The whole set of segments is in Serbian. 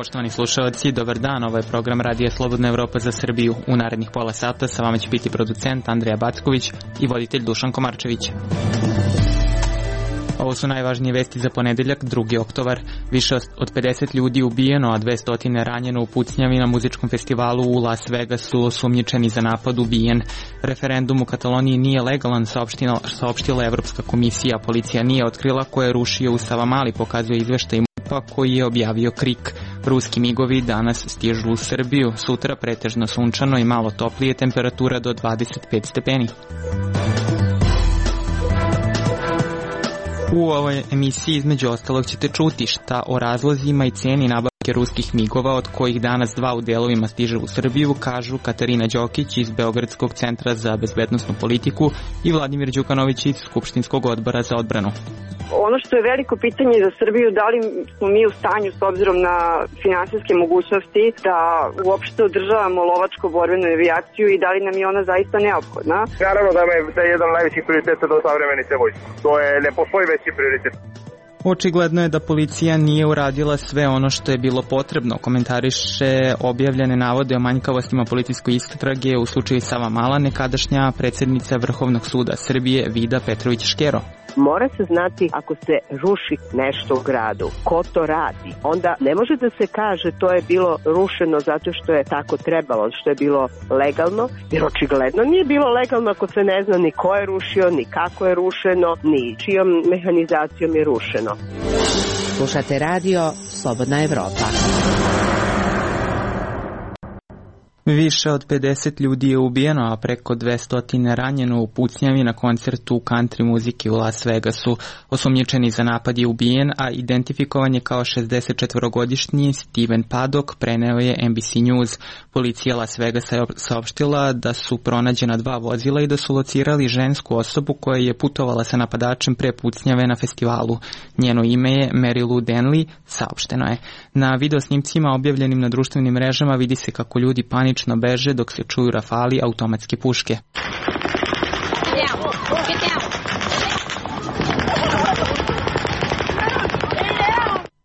Poštovani slušalci, dobar dan, ovo je program Radija Slobodna Evropa za Srbiju. U narednih pola sata sa vama će biti producent Andrija Backović i voditelj Dušan Komarčević. Ovo su najvažnije vesti za ponedeljak, 2. oktobar. Više od 50 ljudi ubijeno, a 200 ranjeno u pucnjavi na muzičkom festivalu u Las Vegasu, osumnjičeni za napad ubijen. Referendum u Kataloniji nije legalan, saopštila Evropska komisija. Policija nije otkrila ko je rušio u Savamali, pokazuje izveštaj MUP-a koji je objavio KRIK. Ruski migovi danas stižu u Srbiju, sutra pretežno sunčano i malo toplije, temperatura do 25 stepeni. U ovoj emisiji između ostalog ćete čuti šta o razlozima i ceni nabavke ruskih migova, od kojih danas 2 u delovima stiže u Srbiju, kažu Katarina Đokić iz Beogradskog centra za bezbednosnu politiku i Vladimir Đukanović iz Skupštinskog odbora za odbranu. Ono što je veliko pitanje za Srbiju, da li smo mi u stanju s obzirom na finansijske mogućnosti da uopšte održavamo lovačko-borbenu avijaciju i da li nam je ona zaista neophodna. Naravno da je jedan od najvećih prioriteta do savremenice vojske. To je, ne postoji veći prioritet. Očigledno je da policija nije uradila sve ono što je bilo potrebno, komentariše objavljene navode o manjkavostima policijskoj istrage u slučaju Savamala nekadašnja predsjednica Vrhovnog suda Srbije Vida Petrović-Škero. Mora se znati ako se ruši nešto u gradu, ko to radi. Onda ne može da se kaže to je bilo rušeno zato što je tako trebalo, što je bilo legalno, jer očigledno nije bilo legalno ako se ne zna ni ko je rušio, ni kako je rušeno, ni čijom mehanizacijom je rušeno. Slušate radio Slobodna Evropa. Više od 50 ljudi je ubijeno, a preko 200 ranjeno u pucnjavi na koncertu country muzike u Las Vegasu. Osumnjičeni za napad je ubijen, a identifikovan je kao 64-godišnji Steven Paddock, preneo je NBC News. Policija Las Vegasa je saopštila da su pronađena 2 vozila i da su locirali žensku osobu koja je putovala sa napadačem pre pucnjave na festivalu. Njeno ime je Mary Lou Denley, saopšteno je. Na videosnimcima objavljenim na društvenim mrežama vidi se kako ljudi panično beže dok se čuju rafali automatske puške.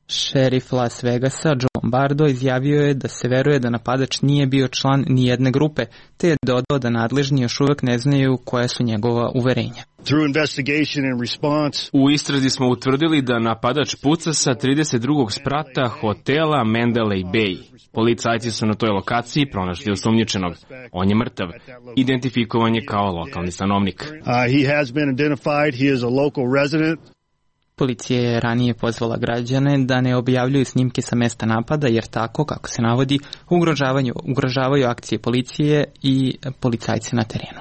Šerif Las Vegasa, Joe Lombardo, izjavio je da se veruje da napadač nije bio član nijedne grupe, te je dodao da nadležni još uvek ne znaju koja su njegova uverenja. U istrazi smo utvrdili da napadač puca sa 32. sprata hotela Mandalay Bay. Policajci su na toj lokaciji pronašli osumnjičenog. On je mrtav. Identifikovan je kao lokalni stanovnik. Policija je ranije pozvala građane da ne objavljuju snimke sa mesta napada, jer tako, kako se navodi, ugrožavaju akcije policije i policajce na terenu.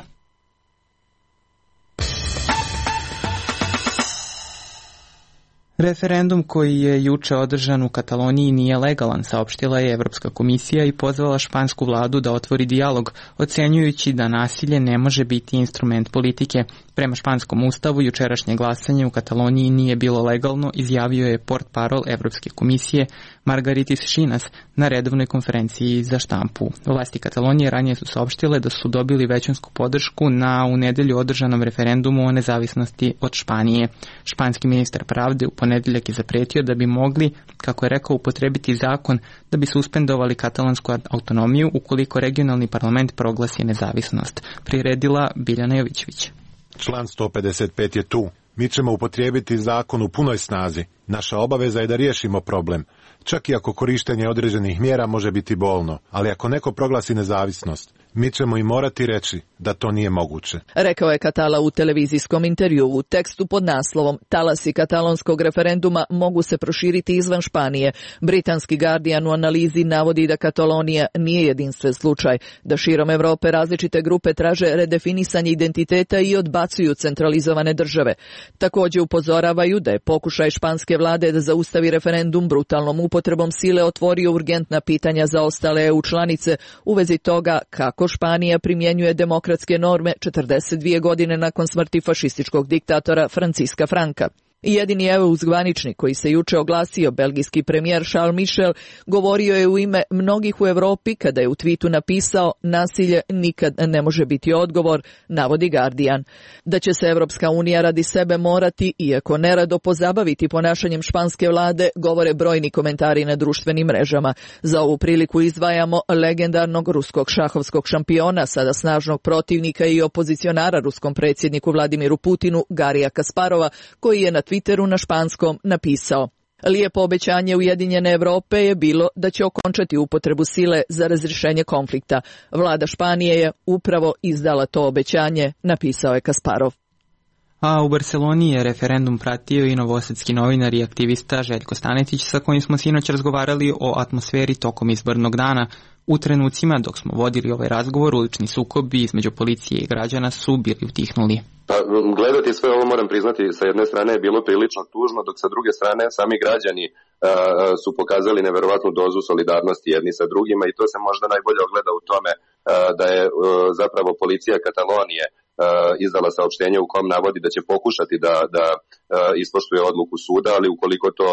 Referendum koji je juče održan u Kataloniji nije legalan, saopštila je Evropska komisija i pozvala špansku vladu da otvori dijalog, ocenjujući da nasilje ne može biti instrument politike. Prema španskom ustavu, jučerašnje glasanje u Kataloniji nije bilo legalno, izjavio je portparol Evropske komisije Margaritis Šinas na redovnoj konferenciji za štampu. Vlasti Katalonije ranije su saopštile da su dobili većinsku podršku na u nedelju održanom referendumu o nezavisnosti od Španije. Španski ministar pravde u ponedeljak je zapretio da bi mogli, kako je rekao, upotrebiti zakon da bi suspendovali katalonsku autonomiju ukoliko regionalni parlament proglasi nezavisnost. Priredila Biljana Jovićević. Član 155 je tu. Mi ćemo upotrijebiti zakon u punoj snazi. Naša obaveza je da riješimo problem. Čak i ako korištenje određenih mjera može biti bolno. Ali ako neko proglasi nezavisnost, mi ćemo i morati reći da to nije moguće. Rekao je Catala u televizijskom intervjuu u tekstu pod naslovom Talasi katalonskog referenduma mogu se proširiti izvan Španije. Britanski Guardian u analizi navodi da Katalonija nije jedinstven slučaj, da širom Evrope različite grupe traže redefinisanje identiteta i odbacuju centralizovane države. Također upozoravaju da je pokušaj španske vlade da zaustavi referendum brutalnom upotrebom sile otvorio urgentna pitanja za ostale EU članice u vezi toga kako Španija primjenjuje demokratske norme 42 godine nakon smrti fašističkog diktatora Franciska Franka. Jedini zvaničnik koji se juče oglasio, belgijski premijer Charles Michel, govorio je u ime mnogih u Evropi kada je u twitu napisao: nasilje nikad ne može biti odgovor, navodi Guardian. Da će se Evropska unija radi sebe morati, iako nerado, pozabaviti ponašanjem španske vlade, govore brojni komentari na društvenim mrežama. Za ovu priliku izdvajamo legendarnog ruskog šahovskog šampiona, sada snažnog protivnika i opozicionara ruskom predsjedniku Vladimiru Putinu, Garija Kasparova, koji je na Twitteru na španskom napisao: lijepo obećanje Ujedinjene Evrope je bilo da će okončati upotrebu sile za razrješenje konflikta. Vlada Španije je upravo izdala to obećanje, napisao je Kasparov. A u Barceloni je referendum pratio i novosadski novinar i aktivista Željko Stanetić, sa kojim smo sinoć razgovarali o atmosferi tokom izbornog dana. U trenucima dok smo vodili ovaj razgovor, ulični sukobi između policije i građana su bili utihnuli. Pa, gledati sve ovo, moram priznati, sa jedne strane je bilo prilično tužno, dok sa druge strane sami građani su pokazali neverovatnu dozu solidarnosti jedni sa drugima, i to se možda najbolje ogleda u tome da je zapravo policija Katalonije izdala saopštenje u kom navodi da će pokušati da ispoštuje odluku suda, ali ukoliko to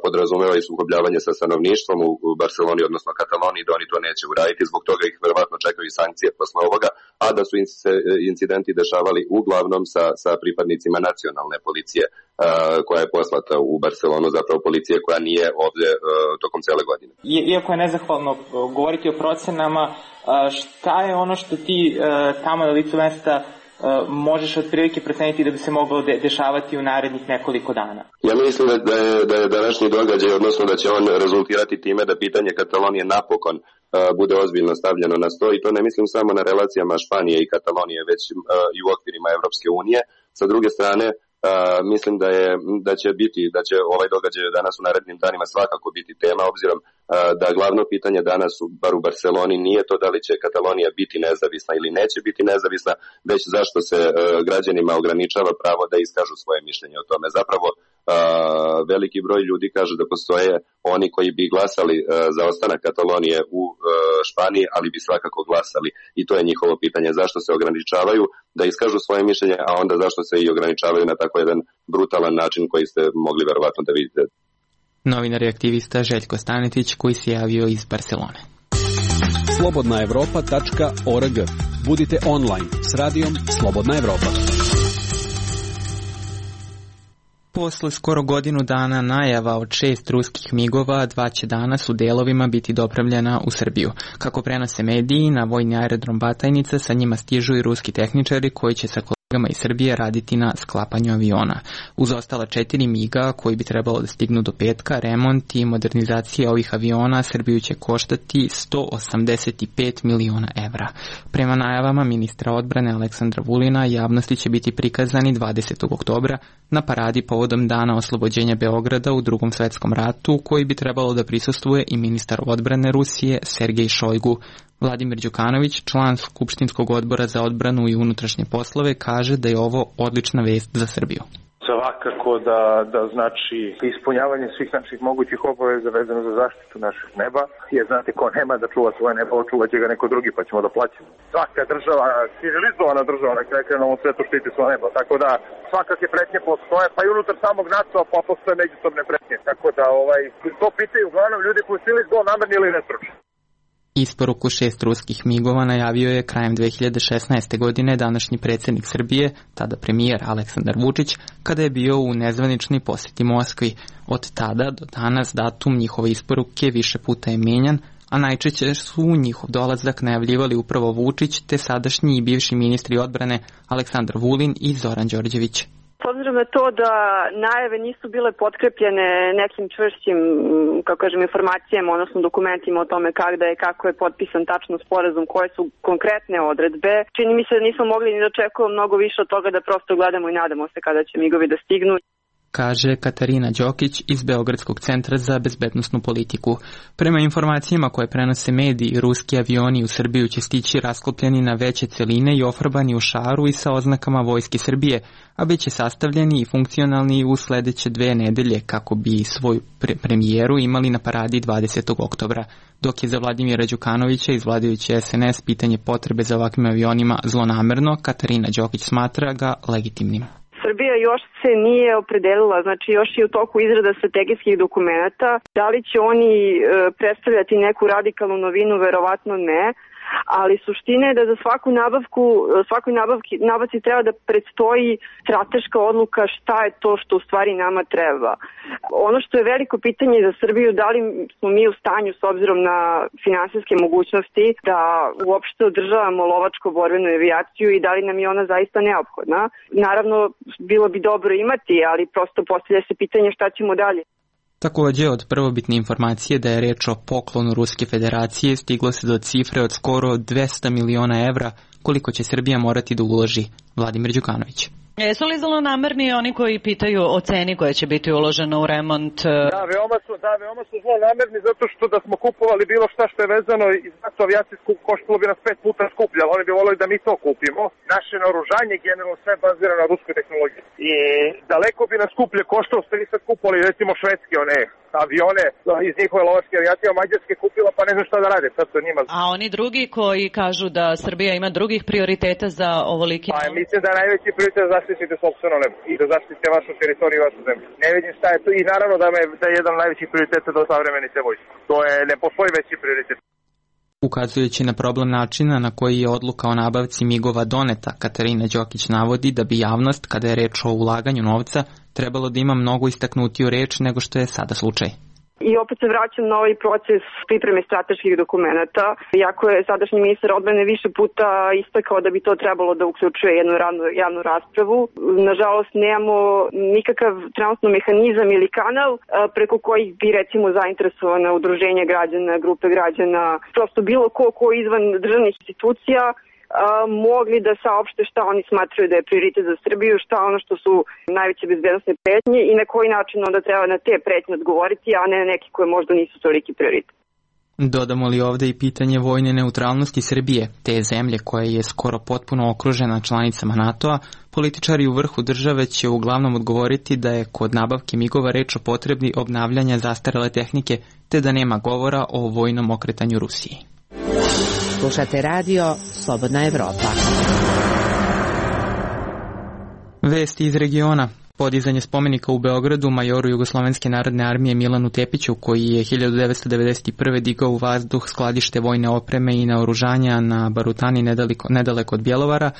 podrazumeva i sukobljavanje sa stanovništvom u Barceloni, odnosno Kataloniji, da oni to neće uraditi, zbog toga ih verovatno čekaju i sankcije posle ovoga, a da su incidenti dešavali uglavnom sa pripadnicima nacionalne policije koja je poslata u Barcelonu, zapravo policije koja nije ovdje tokom cele godine. Iako je nezahvalno govoriti o procenama, šta je ono što ti tamo na licu mesta možeš otprilike proceniti da bi se moglo dešavati u narednih nekoliko dana? Ja mislim da je današnji događaj, odnosno da će on rezultirati time da pitanje Katalonije napokon bude ozbiljno stavljeno na sto, i to ne mislim samo na relacijama Španije i Katalonije, već i u okvirima Evropske unije. Sa druge strane, mislim da će ovaj događaj danas u narednim danima svakako biti tema, obzirom da glavno pitanje danas, bar u Barceloni, nije to da li će Katalonija biti nezavisna ili neće biti nezavisna, već zašto se građanima ograničava pravo da iskažu svoje mišljenje o tome. Zapravo, veliki broj ljudi kaže da postoje oni koji bi glasali za ostanak Katalonije u Španiji, ali bi svakako glasali, i to je njihovo pitanje. Zašto se ograničavaju da iskažu svoje mišljenje, a onda zašto se i ograničavaju na tako jedan brutalan način koji ste mogli verovatno da vidite. Novinar i aktivista Željko Stanetić, koji se javio iz Barcelone. slobodnaevropa.org. Budite online s radijom Slobodna Evropa. Posle skoro godinu dana najava od 6 ruskih migova, 2 će danas u delovima biti dopravljena u Srbiju. Kako prenose mediji, na vojni aerodrom Batajnica sa njima stižu i ruski tehničari koji će sa kolegama iz Srbije raditi na sklapanju aviona. Uz ostala 4 miga koji bi trebalo da stignu do petka, remont i modernizacija ovih aviona Srbiju će koštati 185 miliona evra. Prema najavama ministra odbrane Aleksandra Vulina, javnosti će biti prikazani 20. oktobra na paradi povodom Dana oslobođenja Beograda u Drugom svetskom ratu, koji bi trebalo da prisustvuje i ministar odbrane Rusije Sergej Šojgu. Vladimir Đukanović, član Skupštinskog odbora za odbranu i unutrašnje poslove, kaže da je ovo odlična vest za Srbiju. Svakako da znači ispunjavanje svih naših mogućih obaveza vezano za zaštitu našeg neba, jer znate, ko nema da čuva svoje nebo, očuvat će ga neko drugi, pa ćemo da plaćamo. Svaka država, civilizovana država na kraju na ovom svetu štiti svoje nebo, tako da svakake pretnje postoje, pa i unutar samog NATO, pa postoje međusobne pretnje, tako da to pitaju uglavnom ljudi koji su ili zlonamerni ili nestručni. Isporuku 6 ruskih migova najavio je krajem 2016. godine današnji predsjednik Srbije, tada premijer Aleksandar Vučić, kada je bio u nezvaničnoj posjeti Moskvi. Od tada do danas datum njihove isporuke više puta je menjan, a najčešće su njihov dolazak najavljivali upravo Vučić te sadašnji i bivši ministri odbrane Aleksandar Vulin i Zoran Đorđević. S obzirom na to da najave nisu bile potkrepljene nekim čvršćim, informacijama, odnosno dokumentima o tome kako je potpisan tačno sporazum, koje su konkretne odredbe, čini mi se da nismo mogli ni da očekujemo mnogo više od toga da prosto gledamo i nadamo se kada će migovi da stignu. Kaže Katarina Đokić iz Beogradskog centra za bezbednosnu politiku. Prema informacijama koje prenose mediji, ruski avioni u Srbiju će stići rasklopljeni na veće celine i ofarbani u šaru i sa oznakama Vojske Srbije, a bit će sastavljeni i funkcionalni u sledeće 2 nedelje kako bi svoju premijeru imali na paradi 20. oktobra. Dok je za Vladimira Đukanovića iz vladajuće SNS pitanje potrebe za ovakvim avionima zlonamerno, Katarina Đokić smatra ga legitimnim. Srbija još se nije opredelila, znači još je u toku izrada strategijskih dokumenata. Da li će oni predstavljati neku radikalnu novinu, verovatno ne. Ali suština je da za svakoj nabavci treba da predstoji strateška odluka šta je to što u stvari nama treba. Ono što je veliko pitanje za Srbiju, da li smo mi u stanju s obzirom na finansijske mogućnosti da uopšte održavamo lovačko-borbenu avijaciju i da li nam je ona zaista neophodna. Naravno, bilo bi dobro imati, ali prosto postavlja se pitanje šta ćemo dalje. Takođe, od prvobitne informacije da je reč o poklonu Ruske federacije stiglo se do cifre od skoro 200 miliona evra koliko će Srbija morati da uloži. Vladimir Đukanović. Jesu li zlonamerni oni koji pitaju o ceni koja će biti uložena u remont? Veoma su zlonamerni zato što da smo kupovali bilo šta što je vezano iz NATO avijacije koštalo bi nas 5 puta skuplje, ali oni bi volili da mi to kupimo. Naše naoružanje generalno sve bazira na ruskoj tehnologiji. I daleko bi nas skuplje koštalo, ste vi sad kupovali recimo švedske avione iz njihove lovačke avijacije, a Mađarske kupila pa ne znam šta da rade. Sad to njima. A oni drugi koji kažu da Srbija ima drugih prioriteta za ovoliki... Pa mislim da najveći prioritet zaštitite sopstveno nebo i da zaštitite vašu teritoriju i vašu zemlju. Ne vidim šta je to i naravno da je jedan od najvećih prioriteta do savremenice vojske. To je, ne postoji veći prioritet. Ukazujući na problem načina na koji je odluka o nabavci migova doneta, Katarina Đokić navodi da bi javnost, kada je reč o ulaganju novca, trebalo da ima mnogo istaknutiju reč nego što je sada slučaj. I opet se vraćam na ovaj proces pripreme strateških dokumenata. Iako je sadašnji ministar odbrane više puta istakao da bi to trebalo da uključuje jednu javnu raspravu, nažalost nemamo nikakav trenutno mehanizam ili kanal preko kojih bi recimo zainteresovana udruženja građana, grupe građana, prosto bilo ko izvan državnih institucija mogli da saopšte šta oni smatraju da je prioritet za Srbiju, šta ono što su najveće bezbednosne pretnje i na koji način onda treba na te pretnje odgovoriti, a ne neki koje možda nisu toliki prioritet. Dodamo li ovde i pitanje vojne neutralnosti Srbije, te zemlje koja je skoro potpuno okružena članicama NATO-a, političari u vrhu države će uglavnom odgovoriti da je kod nabavke migova reč o potrebi obnavljanja zastarele tehnike, te da nema govora o vojnom okretanju Rusiji. Slušate radio Slobodna Evropa. Vesti iz regiona. Podizanje spomenika u Beogradu majoru Jugoslovenske narodne armije Milanu Tepiću, koji je 1991. digao u vazduh skladište vojne opreme i naoružanja na Barutani nedaleko od Bjelovara,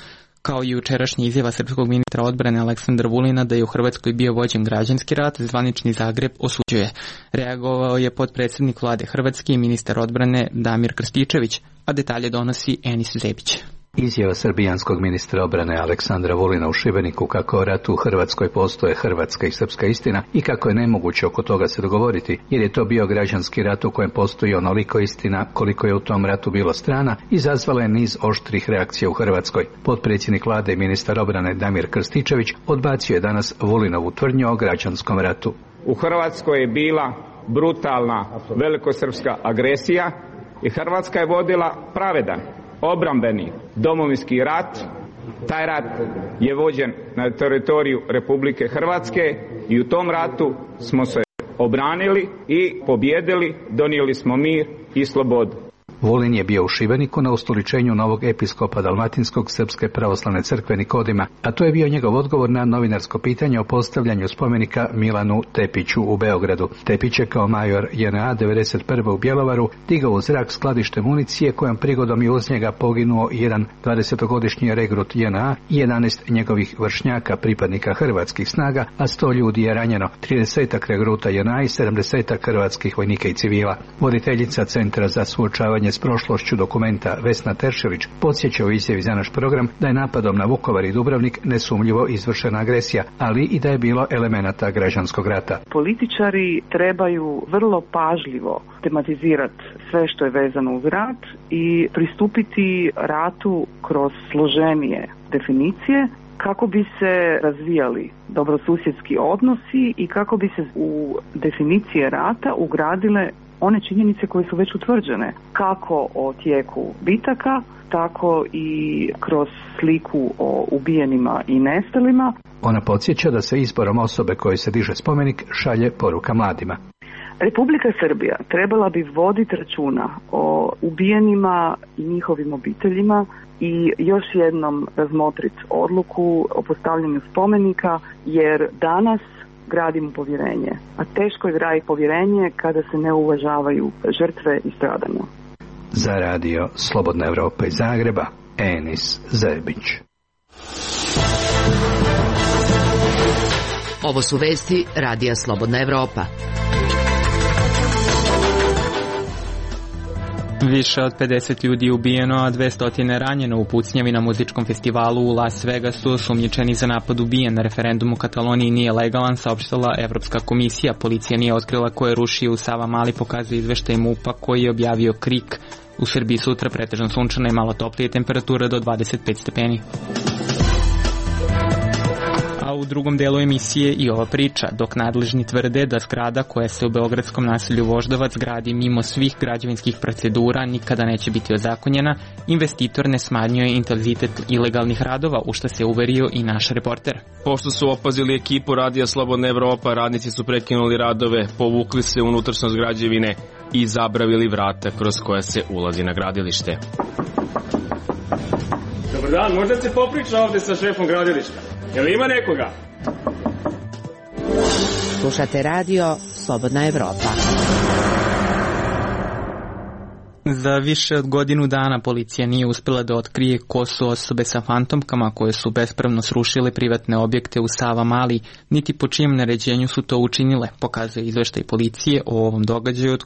kao i jučerašnja izjava srpskog ministra odbrane Aleksandra Vulina da je u Hrvatskoj bio vođen građanski rat, zvanični Zagreb osuđuje. Reagovao je potpredsednik vlade Hrvatske i ministar odbrane Damir Krstičević, a detalje donosi Enis Zebić. Izjava srbijanskog ministra obrane Aleksandra Vulina u Šibeniku kako o ratu u Hrvatskoj postoje hrvatska i srpska istina i kako je nemoguće oko toga se dogovoriti, jer je to bio građanski rat u kojem postoji onoliko istina koliko je u tom ratu bilo strana, izazvala je niz oštrih reakcija u Hrvatskoj. Potpredsjednik vlade i ministar obrane Damir Krstičević odbacio je danas Vulinovu tvrdnju o građanskom ratu. U Hrvatskoj je bila brutalna velikosrpska agresija i Hrvatska je vodila pravedan obrambeni domovinski rat. Taj rat je vođen na teritoriju Republike Hrvatske i u tom ratu smo se obranili i pobjedili, donijeli smo mir i slobodu. Vulin je bio u Šibeniku na ustoličenju novog episkopa Dalmatinskog Srpske pravoslavne crkve Nikodima, a to je bio njegov odgovor na novinarsko pitanje o postavljanju spomenika Milanu Tepiću u Beogradu. Tepić je kao major JNA 91. u Bjelovaru digao u zrak skladište municije kojom prigodom je uz njega poginuo jedan 20-godišnji regrut JNA i 11 njegovih vršnjaka pripadnika hrvatskih snaga, a 100 ljudi je ranjeno, 30 regruta JNA i 70 hrvatskih vojnika i civila. Voditeljica Centra za suočavanje s prošlošću dokumenta Vesna Teršelić podsjeća u izjavi za naš program da je napadom na Vukovar i Dubrovnik nesumnjivo izvršena agresija, ali i da je bilo elemenata građanskog rata. Političari trebaju vrlo pažljivo tematizirati sve što je vezano uz rat i pristupiti ratu kroz složenije definicije kako bi se razvijali dobrosusjedski odnosi i kako bi se u definicije rata ugradile one činjenice koje su već utvrđene, kako o tijeku bitaka, tako i kroz sliku o ubijenima i nestalima. Ona podsjeća da se izborom osobe kojoj se diže spomenik šalje poruka mladima. Republika Srbija trebala bi voditi računa o ubijenima i njihovim obiteljima i još jednom razmotriti odluku o postavljanju spomenika, jer danas gradimo povjerenje, a teško je graditi povjerenje kada se ne uvažavaju žrtve i stradanja. Za radio Slobodna Evropa iz Zagreba, Enis Zebić. Ovo su vesti radija Slobodna Evropa. Više od 50 ljudi ubijeno, a 200 ranjeno u pucnjavi na muzičkom festivalu u Las Vegasu. Osumnjičeni za napad ubijen na referendumu u Kataloniji nije legalan, saopštila Evropska komisija. Policija nije otkrila ko je rušio u Savamali, pokazuje izveštaj MUP-a koji je objavio KRIK. U Srbiji sutra pretežno sunčana i malo toplije, temperatura do 25 stepeni. A u drugom delu emisije i ova priča, dok nadležni tvrde da zgrada koja se u beogradskom naselju Voždovac gradi mimo svih građevinskih procedura nikada neće biti ozakonjena, investitor ne smanjuje intenzitet ilegalnih radova, u što se uverio i naš reporter. Pošto su opazili ekipu radija Slobodna Evropa, radnici su prekinuli radove, povukli se u unutrašnjost građevine i zabravili vrata kroz koja se ulazi na gradilište. Dobar dan, možda se popriča ovde sa šefom gradilišta. Jel ima nekoga? Slušate radio Slobodna Evropa. Za više od godinu dana policija nije uspjela da otkrije ko su osobe sa fantomkama koje su bespravno srušile privatne objekte u Savamali, niti po čijem naređenju su to učinile, pokazuje izveštaj policije o ovom događaju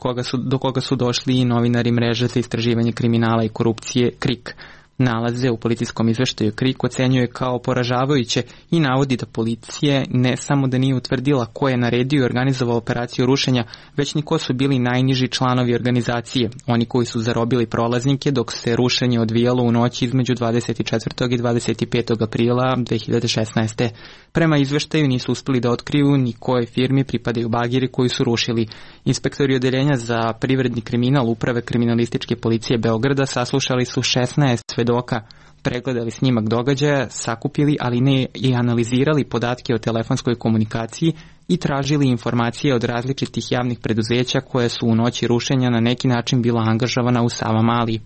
do koga su došli i novinari mreže za istraživanje kriminala i korupcije KRIK. Nalaze u policijskom izveštaju KRIK ocenjuje kao poražavajuće i navodi da policija ne samo da nije utvrdila ko je naredio i organizovao operaciju rušenja, već ni ko su bili najniži članovi organizacije, oni koji su zarobili prolaznike dok se rušenje odvijalo u noći između 24. i 25. aprila 2016. Prema izveštaju nisu uspjeli da otkriju ni kojoj firmi pripadaju bageri koji su rušili. Inspektori odeljenja za privredni kriminal Uprave kriminalističke policije Beograda saslušali su 16 svedoka, pregledali snimak događaja, sakupili, ali ne i analizirali podatke o telefonskoj komunikaciji i tražili informacije od različitih javnih preduzeća koje su u noći rušenja na neki način bila angažovana u Savamali.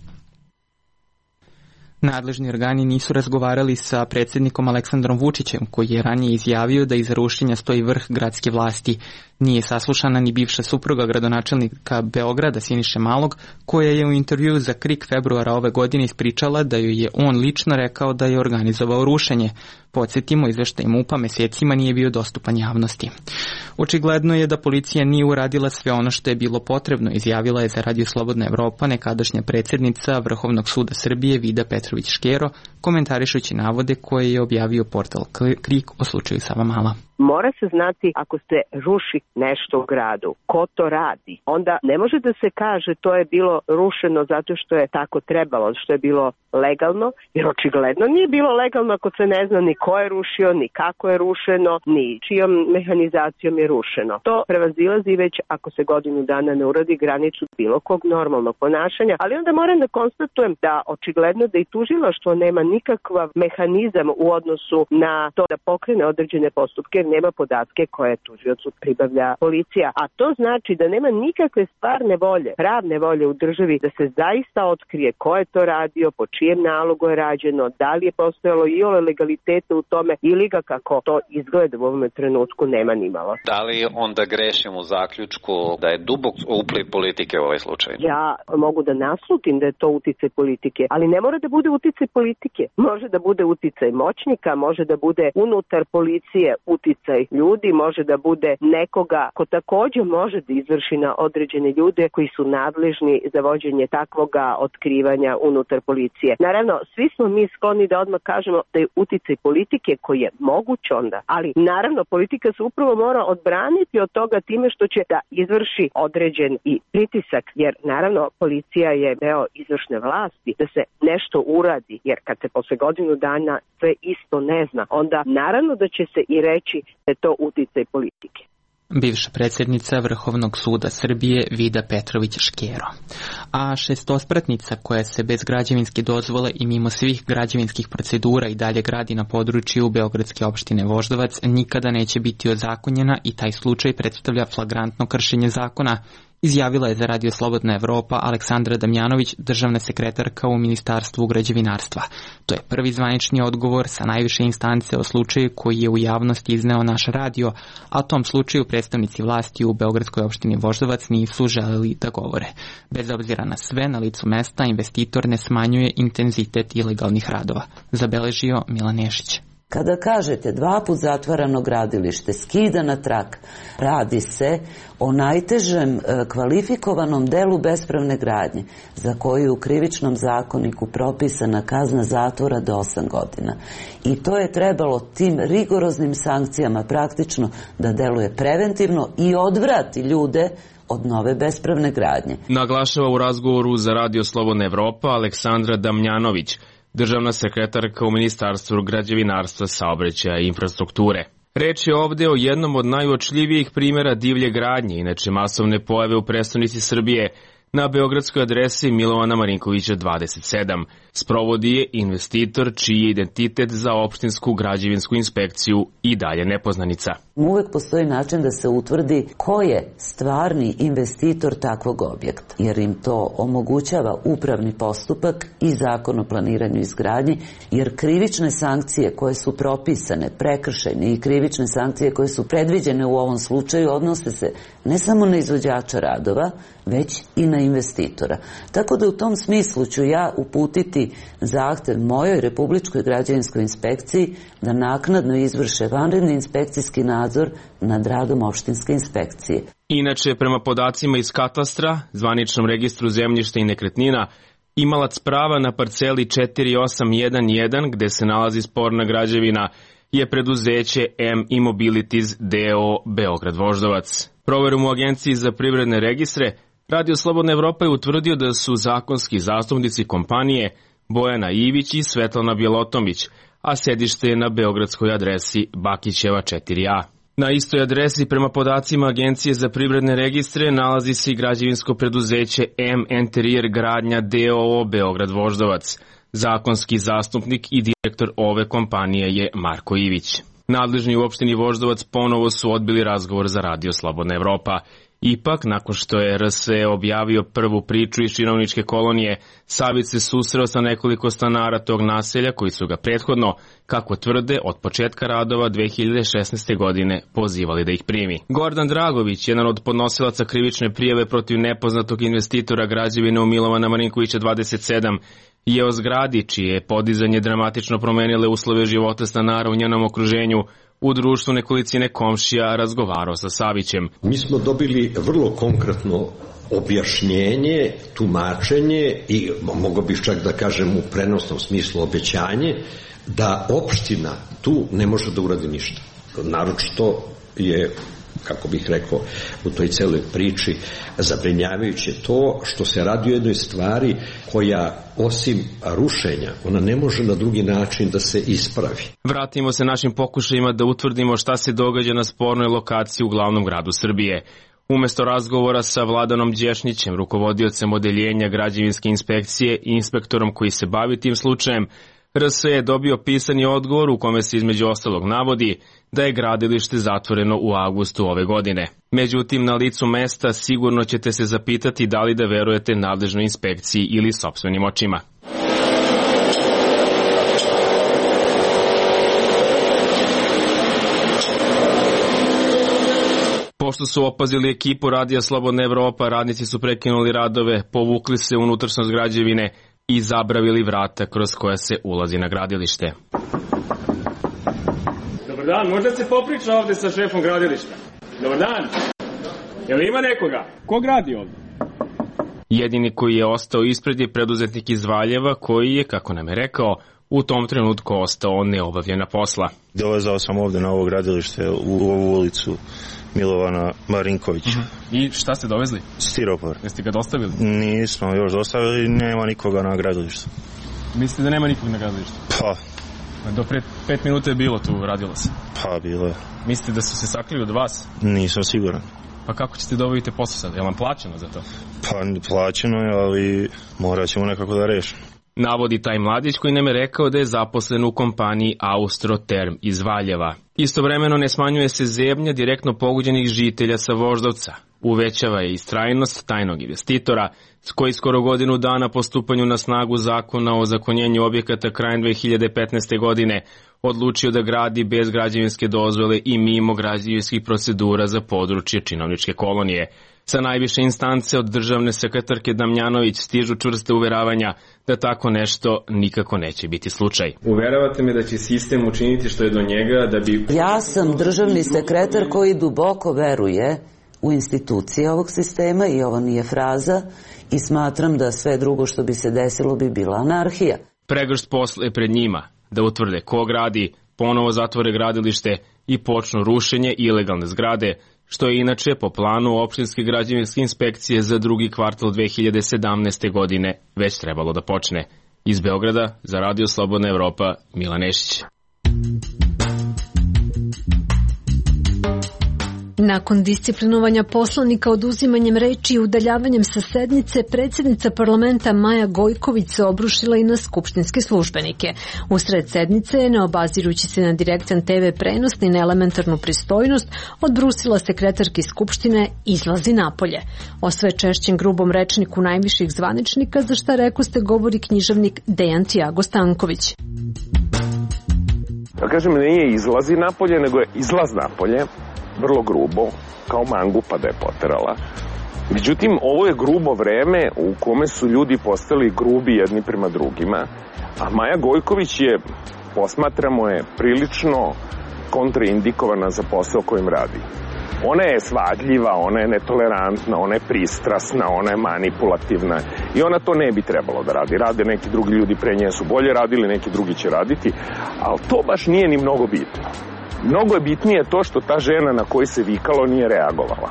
Nadležni organi nisu razgovarali sa predsjednikom Aleksandrom Vučićem, koji je ranije izjavio da iza rušenja stoji vrh gradske vlasti. Nije saslušana ni bivša supruga gradonačelnika Beograda Siniše Malog, koja je u intervjuu za KRIK februara ove godine ispričala da joj je on lično rekao da je organizovao rušenje. Podsjetimo, izveštaj MUP-a mesecima nije bio dostupan javnosti. Očigledno je da policija nije uradila sve ono što je bilo potrebno, izjavila je za Radio Slobodna Evropa nekadašnja predsjednica Vrhovnog suda Srbije Vida Petrović-Škero, komentarišući navode koje je objavio portal KRIK o slučaju Savamala. Mora se znati ako se ruši nešto u gradu, ko to radi. Onda ne može da se kaže to je bilo rušeno zato što je tako trebalo, što je bilo legalno, jer očigledno nije bilo legalno ako se ne zna ni ko je rušio, ni kako je rušeno, ni čijom mehanizacijom je rušeno. To prevazilazi već ako se godinu dana ne uradi granicu bilo kog normalnog ponašanja, ali onda moram da konstatujem da očigledno da i tužilaštvo nema nikakav mehanizam u odnosu na to da pokrene određene postupke, jer nema podatke koje tužiocu pribavlja policija. A to znači da nema nikakve stvarne volje, pravne volje u državi da se zaista otkrije ko je to radio, po čijem nalogu je rađeno, da li je postojalo i ole legalitete u tome ili ga kako to izgleda u ovom trenutku nema ni malo. Da li onda grešim u zaključku da je dubok upliv politike u ovaj slučaj? Ja mogu da naslutim da je to uticaj politike, ali ne mora da bude uticaj politike. Može da bude uticaj moćnika, može da bude unutar policije uticaj ljudi, može da bude nekoga ko također može da izvrši na određene ljude koji su nadležni za vođenje takvoga otkrivanja unutar policije. Naravno, svi smo mi skloni da odmah kažemo da je uticaj politike koji je moguć onda, ali naravno politika se upravo mora odbraniti od toga time što će da izvrši određen i pritisak, jer naravno policija je deo izvršne vlasti da se nešto uradi, jer kad se posle godinu dana sve isto ne zna, onda naravno da će se i reći da je to uticaj politike. bivša predsjednica Vrhovnog suda Srbije Vida Petrović Škero. A šestospratnica koja se bez građevinske dozvole i mimo svih građevinskih procedura i dalje gradi na području beogradske opštine Voždovac nikada neće biti ozakonjena i taj slučaj predstavlja flagrantno kršenje zakona, izjavila je za Radio Slobodna Evropa Aleksandra Damjanović, državna sekretarka u Ministarstvu građevinarstva. To je prvi zvanični odgovor sa najviše instance o slučaju koji je u javnosti izneo naš radio, a o tom slučaju predstavnici vlasti u beogradskoj opštini Voždovac nisu želeli da govore. Bez obzira na sve, na licu mesta investitor ne smanjuje intenzitet ilegalnih radova, zabeležio Milan Nešić. Kada kažete 2 put zatvarano gradilište, skida na trak, radi se o najtežem kvalifikovanom delu bespravne gradnje, za koju je u krivičnom zakoniku propisana kazna zatvora do 8 godina. I to je trebalo tim rigoroznim sankcijama praktično da deluje preventivno i odvrati ljude od nove bespravne gradnje. Naglašava u razgovoru za Radio Slobodna Evropa Aleksandra Damjanović, državna sekretarka u Ministarstvu građevinarstva, saobraćaja i infrastrukture. Reč je ovde o jednom od najuočljivijih primjera divlje gradnje, inače masovne pojave u prestonici Srbije, na beogradskoj adresi Milovana Marinkovića 27. Sprovodi je investitor čiji je identitet za opštinsku građevinsku inspekciju i dalje nepoznanica. Uvek postoji način da se utvrdi ko je stvarni investitor takvog objekta, jer im to omogućava upravni postupak i zakon o planiranju i izgradnji, jer krivične sankcije koje su propisane, prekršajne i krivične sankcije koje su predviđene u ovom slučaju odnose se ne samo na izvođača radova, već i na investitora. Tako da u tom smislu ću ja uputiti zahtev mojoj Republičkoj građevinskoj inspekciji da naknadno izvrše vanredni inspekcijski nadzor nad radom opštinske inspekcije. Inače, prema podacima iz katastra, zvaničnom registru zemljišta i nekretnina, imalac prava na parceli 4811 gde se nalazi sporna građevina je preduzeće M Immobilities d.o. Beograd Voždovac. Proverom u Agenciji za privredne registre, Radio Slobodna Evropa je utvrdio da su zakonski zastupnici kompanije Bojana Ivić i Svetlana Bjelotomić, a sedište je na beogradskoj adresi Bakićeva 4A. Na istoj adresi, prema podacima Agencije za privredne registre, nalazi se i građevinsko preduzeće M Interior Gradnja d.o.o. Beograd Voždovac. Zakonski zastupnik i direktor ove kompanije je Marko Ivić. Nadležni u opštini Voždovac ponovo su odbili razgovor za Radio Slobodna Evropa. Ipak, nakon što je RSE objavio prvu priču iz činovničke kolonije, Savit se susreo sa nekoliko stanara tog naselja koji su ga prethodno, kako tvrde, od početka radova 2016. godine pozivali da ih primi. Gordan Dragović, jedan od podnosilaca krivične prijave protiv nepoznatog investitora građevine u Milovana Marinkovića 27, je o zgradi čije je podizanje dramatično promenile uslove života stanara u njenom okruženju u društvu nekolicine komšija razgovarao sa Savićem. Mi smo dobili vrlo konkretno objašnjenje, tumačenje i mogo bih čak da kažem u prenosnom smislu obećanje da opština tu ne može da uradi ništa. Naročito je, kako bih rekao, u toj celoj priči zabrinjavajuće to što se radi o jednoj stvari koja osim rušenja, ona ne može na drugi način da se ispravi. Vratimo se našim pokušajima da utvrdimo šta se događa na spornoj lokaciji u glavnom gradu Srbije. Umesto razgovora sa Vladanom Đešnićem, rukovodiocem odeljenja građevinske inspekcije i inspektorom koji se bavi tim slučajem, RS je dobio pisani odgovor u kome se između ostalog navodi da je gradilište zatvoreno u avgustu ove godine. Međutim, na licu mesta sigurno ćete se zapitati da li da verujete nadležnoj inspekciji ili sopstvenim očima. Pošto su opazili ekipu Radija Slobodna Evropa, radnici su prekinuli radove, povukli se unutrašnjost građevine i zabravili vrata kroz koja se ulazi na gradilište. Dobar dan, možda se popriča ovde sa šefom gradilišta. Dobar dan. Jel ima nekoga? Ko gradi ovde? Jedini koji je ostao ispred je preduzetnik iz Valjeva koji je, kako nam je rekao, u tom trenutku ostao neobavljena posla. Dolazao sam ovde na ovo gradilište u ovu ulicu Milovana Marinkovića. I šta ste dovezli? Stiropor. Jeste ga dostavili? Nismo još dostavili, nema nikoga na gradilištu. Mislite da nema nikog na gradilištu? Pa, Do pre 5 minuta je bilo tu, radilo se. Pa, bilo je. Mislite da su se sakrili od vas? Nisam siguran. Pa kako ćete da obavite posao sad? Je li vam plaćeno za to? Pa, plaćeno je, ali morat ćemo nekako da rešimo. Navodi taj mladić koji nam je rekao da je zaposlen u kompaniji Austroterm iz Valjeva. Istovremeno ne smanjuje se zebnja direktno pogođenih žitelja sa Voždovca. Uvećava je istrajnost tajnog investitora, s koji skoro godinu dana po stupanju na snagu zakona o zakonjenju objekata krajem 2015. godine odlučio da gradi bez građevinske dozvole i mimo građevinskih procedura za područje činovničke kolonije. Sa najviše instance od državne sekretarke Damjanović stižu čvrste uveravanja da tako nešto nikako neće biti slučaj. Uveravate me da će sistem učiniti što je do njega da bi... Ja sam državni sekretar koji duboko veruje u institucije ovog sistema i ovo nije fraza i smatram da sve drugo što bi se desilo bi bila anarhija. Pregršt posla je pred njima da utvrde ko gradi, ponovo zatvore gradilište i počnu rušenje ilegalne zgrade, što je inače po planu opštinske građevinske inspekcije za drugi kvartal 2017. godine već trebalo da počne. Iz Beograda za Radio Slobodna Evropa, Milan Nešić. Nakon disciplinovanja poslanika oduzimanjem reči i udaljavanjem sa sednice, predsjednica parlamenta Maja Gojković se obrušila i na skupštinske službenike. Usred sednice je, ne obazirući se na direktan TV prenos ni na elementarnu pristojnost, odbrusila sekretarki skupštine izlazi napolje. O sve češćem grubom rečniku najviših zvaničnika, za šta rekoste govori književnik Dejan Tiago Stanković. Da kažem, nije izlazi napolje, nego je izlaz napolje. Vrlo grubo, kao mangupa da je poterala. Međutim, ovo je grubo vreme u kome su ljudi postali grubi jedni prema drugima, a Maja Gojković je, posmatramo je, prilično kontraindikovana za posao kojim radi. Ona je svadljiva, ona je netolerantna, ona je pristrasna, ona je manipulativna i ona to ne bi trebalo da radi. Rade neki drugi ljudi pre nje su bolje radili, neki drugi će raditi, ali to baš nije ni mnogo bitno. Mnogo je bitnije to što ta žena na koju se vikalo nije reagovala.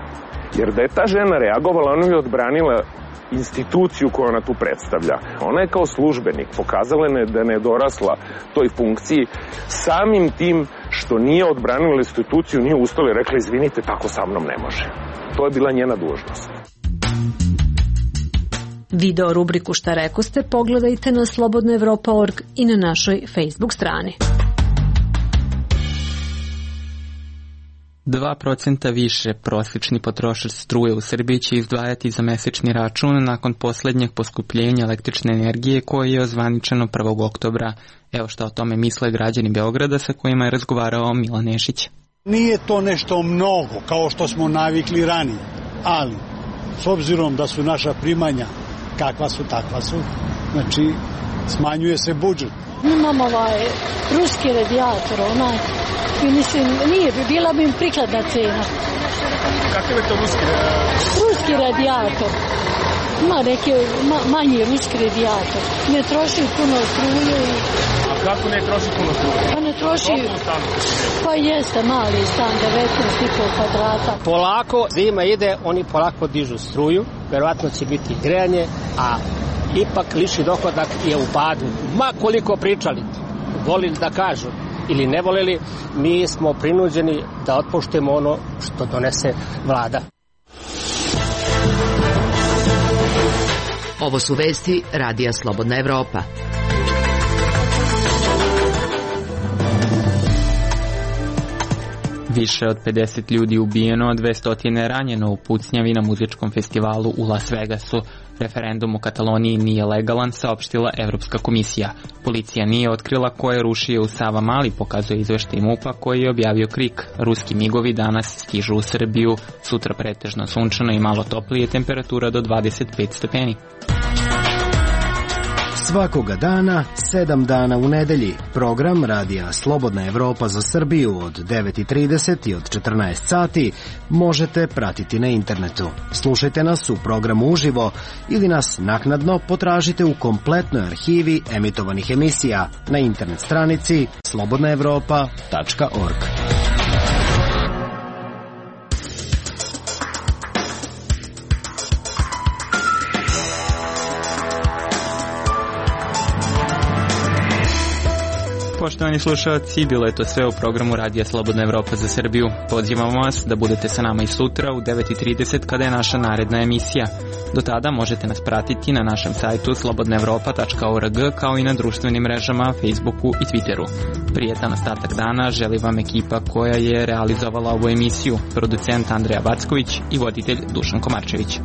Jer da je ta žena reagovala, ona bi odbranila instituciju koju ona tu predstavlja. Ona je kao službenik pokazala da ne je dorasla toj funkciji samim tim što nije odbranila instituciju, nije ustala i rekla izvinite, tako sa mnom ne može. To je bila njena dužnost. Video rubriku Šta rekoste pogledajte na slobodnaevropa.org i na našoj Facebook strani. 2% više prosječni potrošač struje u Srbiji će izdvajati za mesečni račun nakon poslednjeg poskupljenja električne energije koje je ozvaničeno 1. oktobra. Evo šta o tome misle građani Beograda sa kojima je razgovarao Milan Nešić. Nije to nešto mnogo kao što smo navikli ranije, ali s obzirom da su naša primanja kakva su, takva su, znači smanjuje se budžet. Imam ruski radijator, i mislim, nije bi, bila bi im prikladna cena. Kakav je to ruski radijator? Ruski radijator. Ima neki manji ruski radijator. Ne troši puno struje. A kako ne troši puno struje? Pa ne troši... Pa jeste mali stan, 19,5 kvadrata. Polako zima ide, oni polako dižu struju. Verovatno će biti grejanje, a ipak lični dohodak je u padu. Ma koliko pričali, volili da kažu ili ne voleli, mi smo prinuđeni da otpoštujemo ono što donese vlada. Ovo su vesti Radija Slobodna Evropa. Više od 50 ljudi ubijeno, a 200 ranjeno u pucnjavi na muzičkom festivalu u Las Vegasu. Referendum u Kataloniji nije legalan, saopštila Evropska komisija. Policija nije otkrila ko je rušio u Savamali, pokazuje izveštaj MUP-a koji je objavio KRIK. Ruski migovi danas stižu u Srbiju, sutra pretežno sunčano i malo toplije, temperatura do 25 stepeni. Svakoga dana, 7 dana u nedelji. Program Radija Slobodna Evropa za Srbiju od 9:30 i od 14 sati možete pratiti na internetu. Slušajte nas u programu uživo ili nas naknadno potražite u kompletnoj arhivi emitovanih emisija na internet stranici slobodnaevropa.org. Poštovani slušalci, bilo je to sve u programu Radija Slobodna Evropa za Srbiju. Pozivamo vas da budete sa nama i sutra u 9:30 kada je naša naredna emisija. Do tada možete nas pratiti na našem sajtu slobodnaevropa.org kao i na društvenim mrežama, Facebooku i Twitteru. Prijetan ostatak dana želi vam ekipa koja je realizovala ovu emisiju, producent Andreja Backović i voditelj Dušan Komarčević.